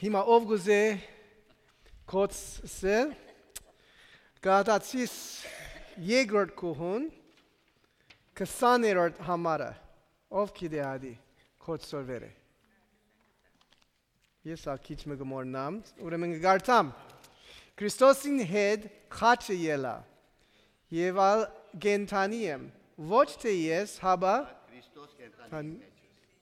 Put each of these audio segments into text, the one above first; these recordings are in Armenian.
Հիմա ով գուզե կոծսել գադացիս երկրորդ կուհուն 20-րդ համարը ով գիտի կոծորվերը Ես ակիչ մը գմորնամ ուրեմն գարտամ Քրիստոսին հետ խաչը ելա եւ ալ գենթանի եմ ոչ թե ես հաբա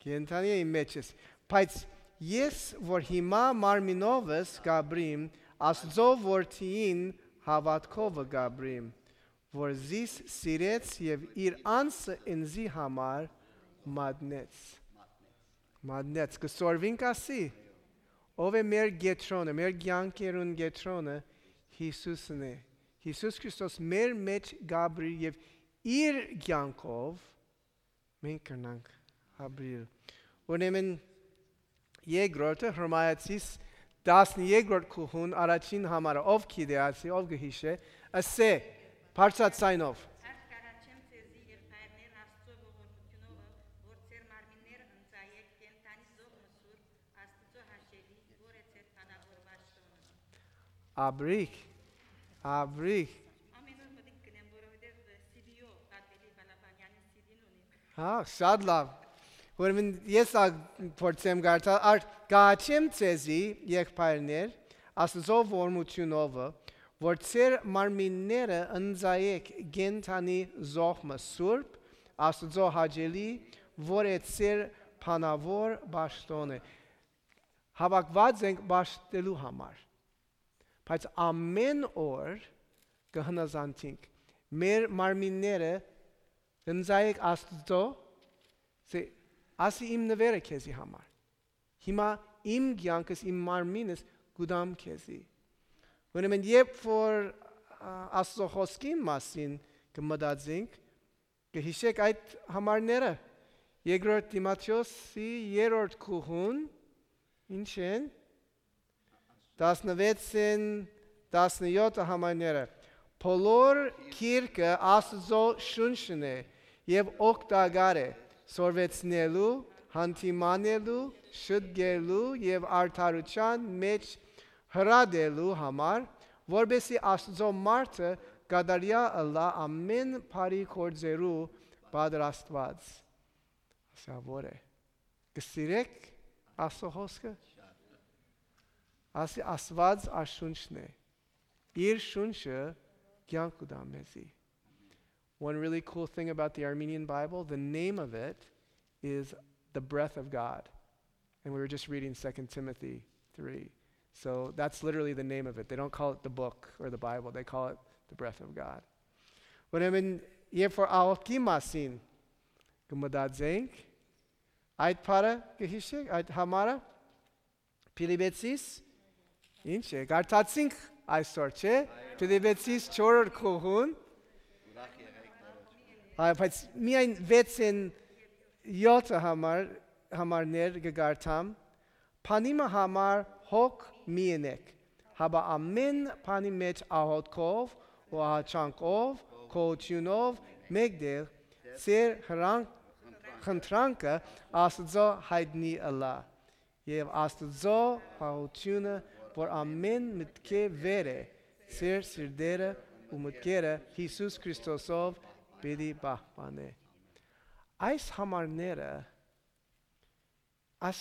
գենթանի եմ մեջս բայց Ես, որ հիմա մարմինովս գաբրիմ, աստծո որդիին հավատքովը գաբրիմ, որ զիս սիրեց և իր անսը ինձի համար մատնեց։ Մատնեց, կսորվինք ասի, ով է մեր գետրոնը, մեր գյանքերուն գետրոնը, Հիսուսն է։ Հիսուս Քրիստոս մեր մեջ գաբրի և իր գյանքով մենք կրնանք հաբրիլ։ Ուրեմն Երկրորդը հրամայեցիս 12-րդ կուհուն առաջին համարը ով գիտի ով գհիշե ասե բարձրացնով Արտկարաչեմ ծեզի եղբայրներ աստծո ողորմությունով որ ծեր մարմիններ ընծայեք կենտանի զող մսուր աստծո հաշելի որ է ծեր փանավոր վաշտոնը Աբրիկ ամենուր մտիկ կնեմ որովհետև CD-ո Պատվելի Բալաբանյանի CD-ն ունի Հա շատ լավ Ուրեմն ես փորձեմ գարտալ գաչեմ ցեզի եղբայրներ աստծո ողորմությունով որ ծեր մարմինները ընծայեք գենթանի զոհմը սուրբ աստծո հաճելի որ է ծեր փանավոր բաշտոնը հավաքված ենք բաշտելու համար բայց ամեն օր կհնազանդենք մեր մարմինները ընծայեք աստծո Ասի իմ նվերը քեզի համար Հիմա իմ կյանքս իմ մարմինս գուդամ քեզի Ուրեմն երբ որ Աստծո խոսքի մասին կմտածենք կհիշեք այդ համարները Երկրորդ Տիմոթեոսի 3-րդ կուհուն ինչ են 16-ին 17 համարները Բոլոր քիրքը Աստծո շունչն է եւ օգտակար է Սորվեցնելու, հանդիմանելու, շտկելու և արդարության մեջ հրադելու համար, որբեսի Աստծո մարդը կատարյա ըլլա ամեն բարի գործերու պատրաստված։ Ասա որ է։ Կսիրեք Աստծո խոսքը։ Ասի Աստված աշունչն է։ Իր շունչը կյանք կտա մեզի։ One really cool thing about the Armenian Bible, the name of it is the breath of God. And we were just reading 2 Timothy 3. So that's literally the name of it. They don't call it the book or the Bible. They call it the breath of God. Ուրեմն երբ որ աղոթքի մասին կմտածենք, այդ բառը կհիշեք, այդ համարը Փիլիպպեցիս ինչ է, կարդացինք այսօր, չէ՞։ Փիլիպպեցիս 4-րդ կուղուն Բայց միայն 6-ին 7 համարներ կգարտամ, Փանիմը համար հոգ մի ընեք, հաբա ամեն փանի մեջ աղոթքով ու ահաչանքով, քոչյունով մեկդեղ ծեր խնդրանքը Աստծո հայտնի ըլլա, և Աստծո հաղությունը, որ ամեն մտքե վեր է, ծեր սիրտերը ու մտքերը Հիսուս Քրիստոսով Պիտի պահպանե Այս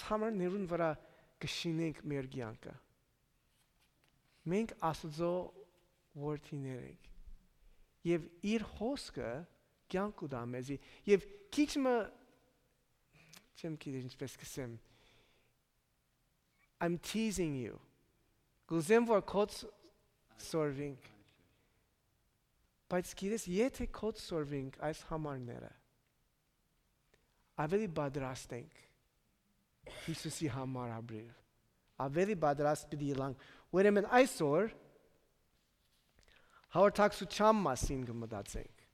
համարներուն վրա կշինենք մեր կյանքը Մենք Աստծո որդիներ ենք Եվ իր խոսքը կյանք ուտա մեզի Եվ քիչ մը չեմ գիտի ինչպես կսեմ I'm teasing you Գուզեմ որ կոց սորվինք Բայց գիտես, եթե կոց սորվինք այս համարները, ավելի պատրաստ ենք Հիսուսի համար ապրել, ավելի պատրաստ պիտի ելանք, ուրեմն այսօր հաղորդակցության մասին կմտածենք,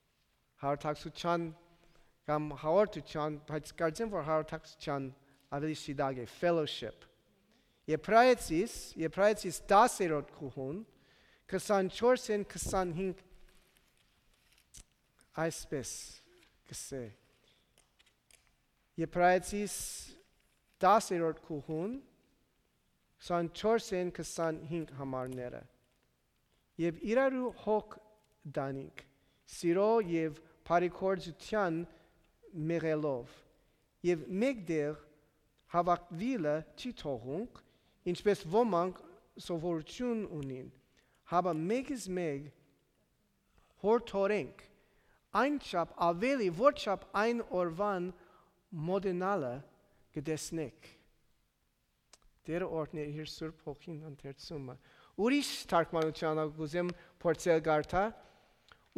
հաղորդակցության կամ հաղորդության, բայց կարծեմ, որ հաղորդակցության ավելի շիդագ է, fellowship, Եբրայեցիս 10-րդ կուղուն, 24-ին 25 Այսպես կսե Եբրայեցիս 10-րդ կուղուն 24-ին 25 համարները։ Եվ իրարու հոգ դանիք, սիրո և բարիքործության մեղելով, և մեկդեղ հավաքվիլը չի թողունք, ինչպես ոմանք սովորություն ունին, հաբա մեկից մեկ հորդորենք, այն չափ ավելի, որ չափ այն օրվան մոդենալը կտեսնեք։ Տերը օրհներ իր Սուրբ Հոգին ընթերցումը։ Ուրիշ թարգմանության գուզեմ փորձել գարտա,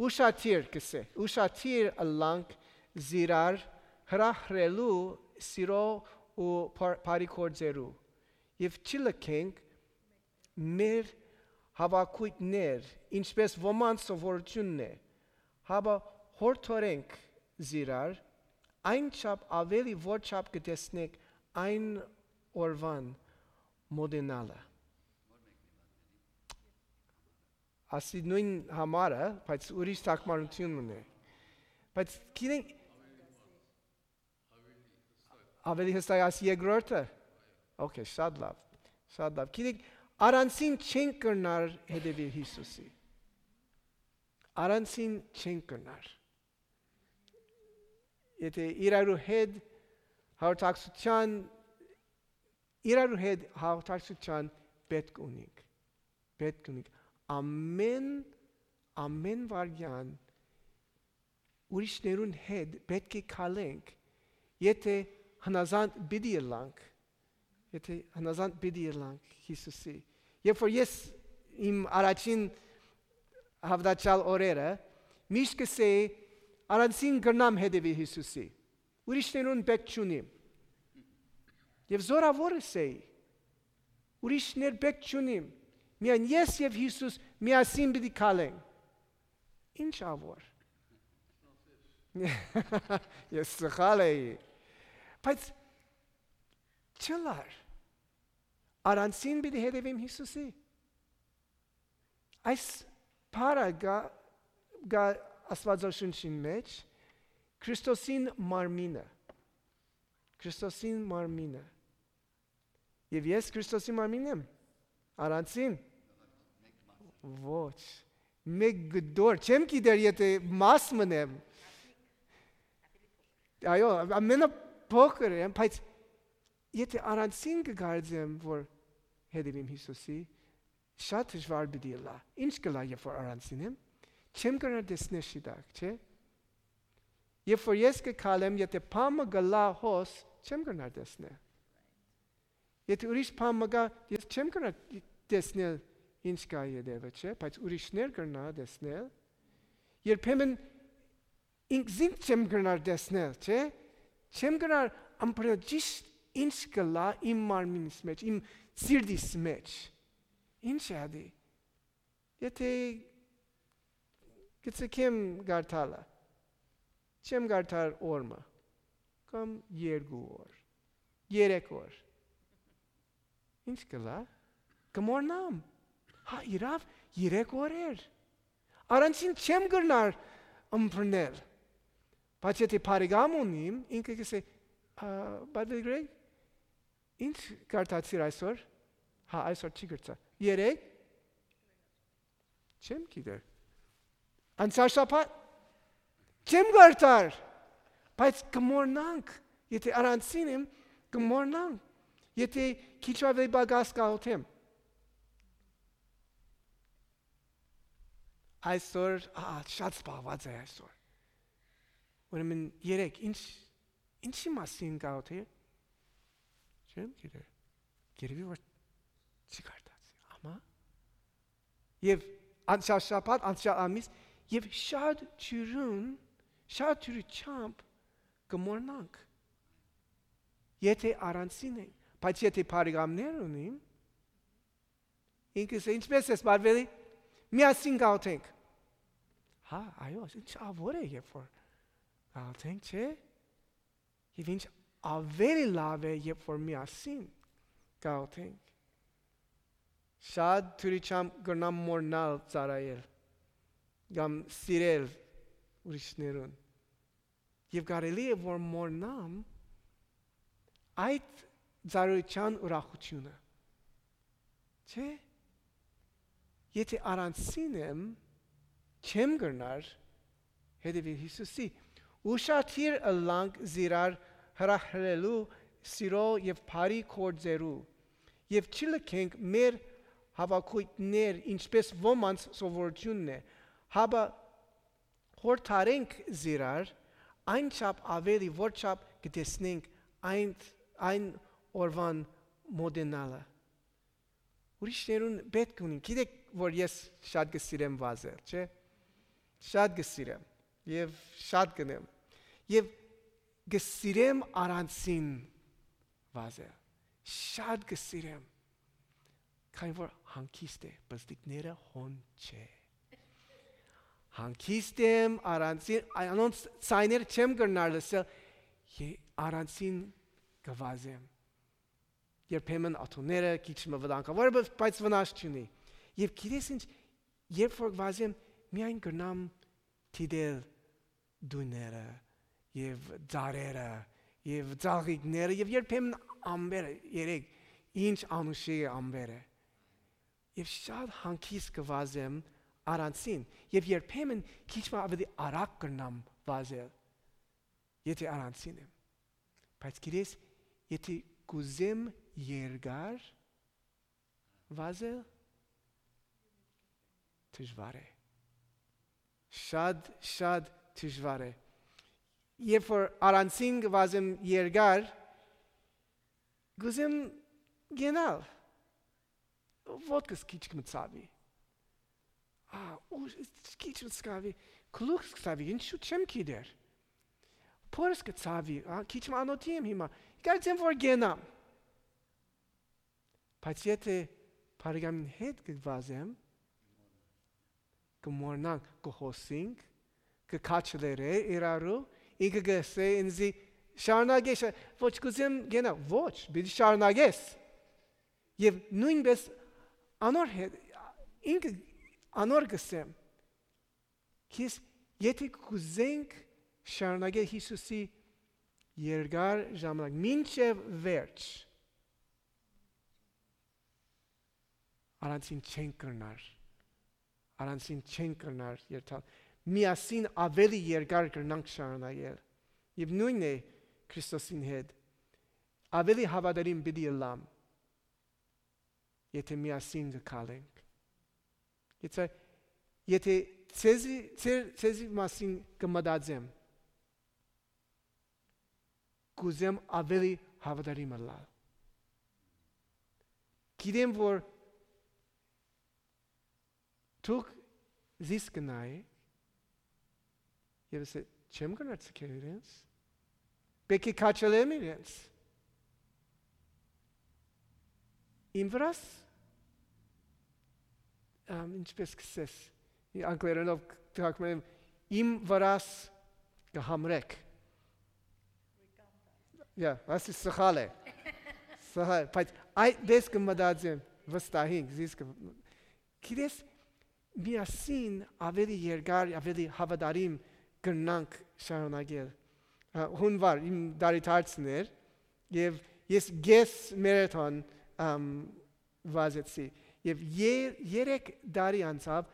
ուշադիր կսե, ուշադիր ըլլանք զիրար հրահրելու սիրո ու բարիքործերու և չլքենք մեր հավաքույթներ, ինչպես ոմանց սովորությունն է, հաբա հորդորենք զիրար, այն չափ ավելի, որ չափ կտեսնեք այն օրվան մոդենալը։ Ասի նույն համարը, բայց ուրիշ թարգմանություն ունի։ Բայց գիտենք ավելի հստակ ասի երկրորդը։ Okay, շատ լավ։ Շատ լավ։ Գիտենք առանցին չեն կրնար հետևել Հիսուսի։ Առանցին չեն կրնար։ Եթե իրարու հետ հաղորդակցության պետք ունենք։ Պետք ունենք։ Ամեն վարյան ուրիշներուն հետ պետք է քալենք, եթե հնազանդ պիտի ելանք Հիսուսի։ Երբ որ ես իմ առաջին հավատացյալ օրերը միշտ կսեի առանցին կրնամ հետևի Հիսուսի։ Ուրիշներուն պետք չունիմ։ Եվ զորավոր էի։ Ուրիշներ պետք չունիմ։ Միայն ես և Հիսուս միասին պիտի քալենք։ Ինչ ավոր։ Ես սխալ էի։ Բայց չլար։ Առանցին պիտի հետևեմ Հիսուսի։ Այս բառը գա Աստվածաշնչին մեջ Քրիստոսին մարմինը։ Եվ ես Քրիստոսի մարմինն եմ։ Առանցին։ Ոչ։ Մեկ գդոր, չեմ գիտեր եթե մաս մնեմ։ Այո, ամենը փոքր եմ, բայց եթե առանցին կգարձեմ, որ հետևեմ Հիսուսի, շատ դժվար պիտի լա։ Ինչ կլա, երբ որ առանցին եմ, չեմ կրնար տեսնել շիտակ, չէ։ Երբ որ ես կքալեմ, եթե փամը գլա հոս, չեմ կրնար տեսնել։ Եթե ուրիշ փամը գա, ես չեմ կրնար տեսնել ինչ կա ետևը, չէ, բայց ուրիշներ կրնար տեսնել։ Երբեմն ինքզինք չեմ կրնար տեսնել, չէ։ Չեմ կրնար ամբողջ ճիշտ ինչ կլա իմ մարմինիս մեջ, իմ սիրտիս մեջ։ Ինչ է ադի։ Եթե գցեմ գարտալը, չեմ գարտալ օրը, կամ 2 օր, 3 օր։ Ինչ կլա։ Կմորնամ։ Հա, իրավ 3 օրեր։ Առանցին չեմ կրնար ըմբռնել։ Բայց եթե բարեկամ ունիմ, ինքը կսե, բայց Գրեգ, ինչ կարտացիր այսօր։ Հա, այսօր չի կրծա։ 3 չեմ գիտեր։ Անցյալ շաբաթ չեմ կարտար։ Բայց կմորնանք, եթե առանցին եմ, կմորնանք։ Եթե քիչ ավելի բագաս կաղոթեմ։ Այսօր, շատ սպաղված է այսօր։ Ուրեմն 3, ինչի մասին կաղոթել։ Չեմ գիտեր։ Գերևի որ չի կարտացի, ամա։ Եվ անցյալ շաբաթ, անցյալ ամիս, և շատ ջրությամբ կմորնանք։ Եթե առանցին ենք, բայց եթե բարեկամներ ունիմ, ինքս ինչպես ես բարվելի, միասին կաղոթենք։ Հա, այո, ինչ ավոր է երբ որ կաղոթենք, չէ։ Եվ ինչ ավելի լավ է, երբ որ միասին կաղոթենք։ Շատ թուրիչամ կրնամ մորնալ ծարայել, կամ սիրել ուրիշներուն։ Եվ կարելի է, որ մորնամ այդ ծառայության ուրախությունը, Չէ։ Եթե առանցին եմ, չեմ գնար հետևել Հիսուսի։ Ուշադիր ըլլանք զիրար հրահրելու սիրո եւ բարի կորձերու եւ չլքենք մեր հավաքույտներ ինչպես ոմանց սովորությունն է, հաբա հորթարենք զիրար այն չափ ավելի որ չափ կտեսնենք այն օրվան մոդենալը։ Ուրիշներուն պետք ունին, գիտեք, որ ես շատ գսիրեմ վազել, չէ՞։ Շատ գսիրեմ եւ շատ գնեմ։ Եվ գսիրեմ առանցին վազել։ Շատ գսիրեմ։ Քանի որ հանգիստ է, բստիկները հոն չէ։ Հանգիստ եմ առանցին, անոնց ցայներ չեմ գնար լսել, առանցին գվազեմ։ Երբեմն աթոները քիչ մվտանգավոր, բայց վնաս չունի։ Եվ գիտես ինչ, երբ որ վազեմ, միայն գնամ դիտել դուները եւ ծառերը եւ ծաղիկները եւ երբեմն ամբերը, երեք ինչ անուշի է ամբերը։ Եվ շատ հանգիստ կվազեմ առանցին եւ երբեմն քիչ ավելի արագ կնամ վազել։ Եթե առանցին եմ։ Բայց գիտես, եթե կուզեմ երկար վազել դժվար է։ Շատ դժվար է։ Երբ որ առանցին վազեմ երկար, կուզեմ գնալ։ Ոտքս քիչ կմցավի։ Քիչ մցավի, քլուքս կցավի, ինչու չեմ գիտեր։ Փորս կցավի, քիչ անոթի եմ հիմա։ Կարծեմ որ գնամ։ Բայց եթե բարեկամին հետ կվազեմ, կմոռնանք, կխոսենք, կքաչլերը իրարու, ինքը գսե ինձի շարունակես, ոչ կուզեմ գնալ, ոչ, պիտի շարունակես։ Եվ նույնպես անոր հետ, ինքը անոր գսեմ, քիզ եթե կուզենք շարունակել Հիսուսի երկար ժամանակ, մինչև վերջ, առանցին չեն կրնար, առանցին չեն կրնար երթալ, միասին ավելի երկար կրնանք շարունակել, և նույնն է Քրիստոսին հետ, ավելի հավատարիմ պիտի ըլլամ, եթե միասին կքալենք, եթե ցեզի մասին կմտածեմ, կուզեմ ավելի հավատարիմ ըլլալ, գիտեմ որ դուք զիս կնայեք, և ասե, չեմ գնացքել իրենց, պետք է քաչելեմ իրենց, իմ վրաս, ինչպես կսես, անգլերենով թակում եմ, իմ վրաս կհամրեք, ասի սխալ է, բայց այդպես կմտածեմ, վստահենք, զիս գիտես, միասին ավելի երկար, ավելի հավատարիմ կրնանք շարունակել։ Հունվար, իմ դարիթարցն էր, և ես գես մերաթոն վազեցի, և 3 դարի անցավ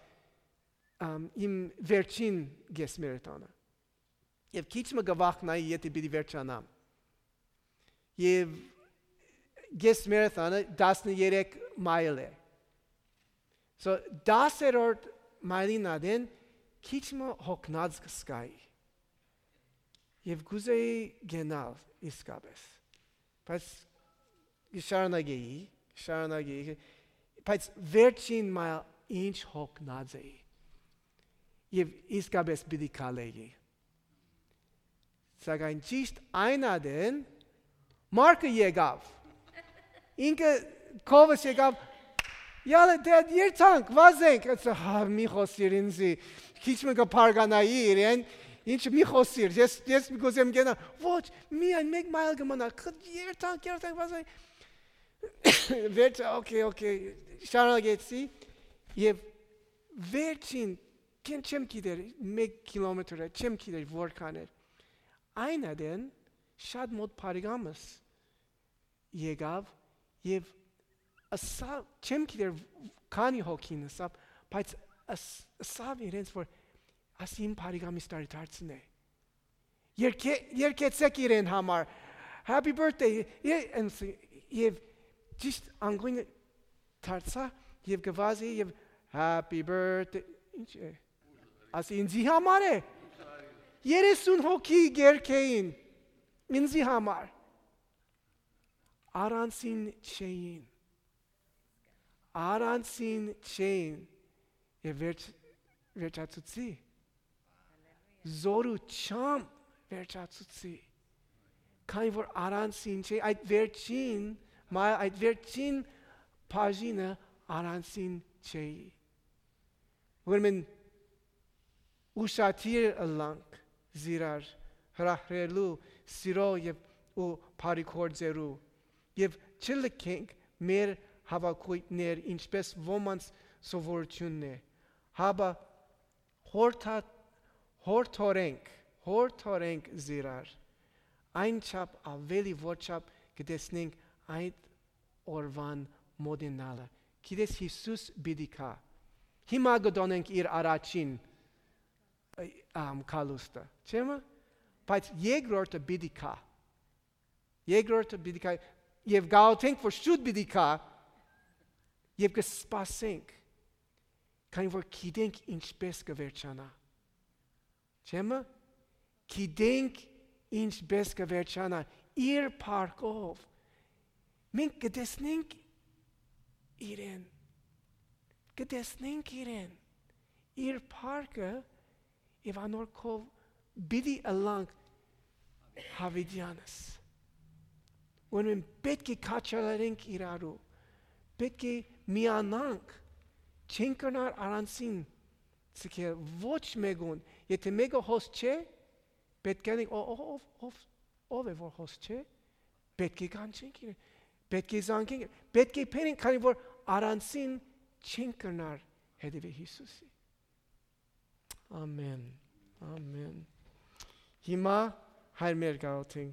իմ վերջին գես մերաթոնը։ Եվ քիչ մը գվախնայի, եթե պիտի վերջանամ։ Եվ գես մերաթոնը 13 մայլ է։ So 10-րդ մայլին ադեն քիչ մը հոգնած կսկայի։ Եվ գուզեի գնալ իսկապես։ Բայց շարունակեի, բայց վերջին մայլ ինչ հոգնած էի։ Եվ իսկապես պիտի քալեի։ Սակայն ճիշտ այն ադեն Մարկը եկավ։ Ինքը կովս եկավ Յալը դեդ երթանք, վազենք, մի խոսիր ինձի, քիչ մը կպարգանայի իրեն, ինչ մի խոսիր, ես գոզեմ գենա, ոչ, միայն մեկ մայլ գմանա, երթանք, վազենք, վերջ, օքեյ, շարունակեցի, և վերջին, չեմ գիտեր, 1 կիլոմետր է, չեմ գիտեր որքան էր, այն ադեն, շատ մոտ պարիգամս եկավ, և ասավ չեմ գիտեր քանի հոգին ասավ, բայց ասավ իրենց որ ասին բարիգամիս տարի դարձնե։ Երկեցեք իրեն համար happy birthday եւ ճիշտ անգույն դարձա եւ գվազի եւ happy birthday ինչ է ասի ինձի համար է 30 հոգի գերքեին ինձի համար Aransin chain եւ վերջացուցի Zoru cham վերջացուցի Քանի որ aransin chain այդ վերջին բաժինը aransin chain Ուրեմն ուշադիր ըլանք զիրար հրահրելու սիրո եւ ու բարիքորձերու եւ չլքենք մեր հավաքույտներ ինչպես ոմանց սովորությունն է հաբա հորթորենք զիրար այն չափ ավելի ոչափ կտեսնենք այդ օրվան մոդենալը գիտես Հիսուս բիդիկա հիմա գտոնենք իր առաջին կալուստը չեմը բայց երկրորդը բիդիկա եւ գաղթենք որ շուտ բիդիկա եւ կսպասենք քանի որ գիտենք ինչպես կվերջանա չեմը գիտենք ինչպես կվերջանա իր փառքով մենք կտեսնենք իրեն իր փառքը եւ անորքով բիդի ըլանք հավիդյանս When պետք է քաչալարենք իրարու, պետք է միանանք, չենք կնար արանցին, ցկե ոչ մեկուն, եթե մեկը հոս չէ, պետք է ով է որ հոս չէ, պետք է կանչենք իրեն, պետք է զանգենք, պետք է փերենք, քանի որ արանցին չենք կնար հետևի Հիսուսի։ Ամեն։ Հիմա հայր մեր գաղթենք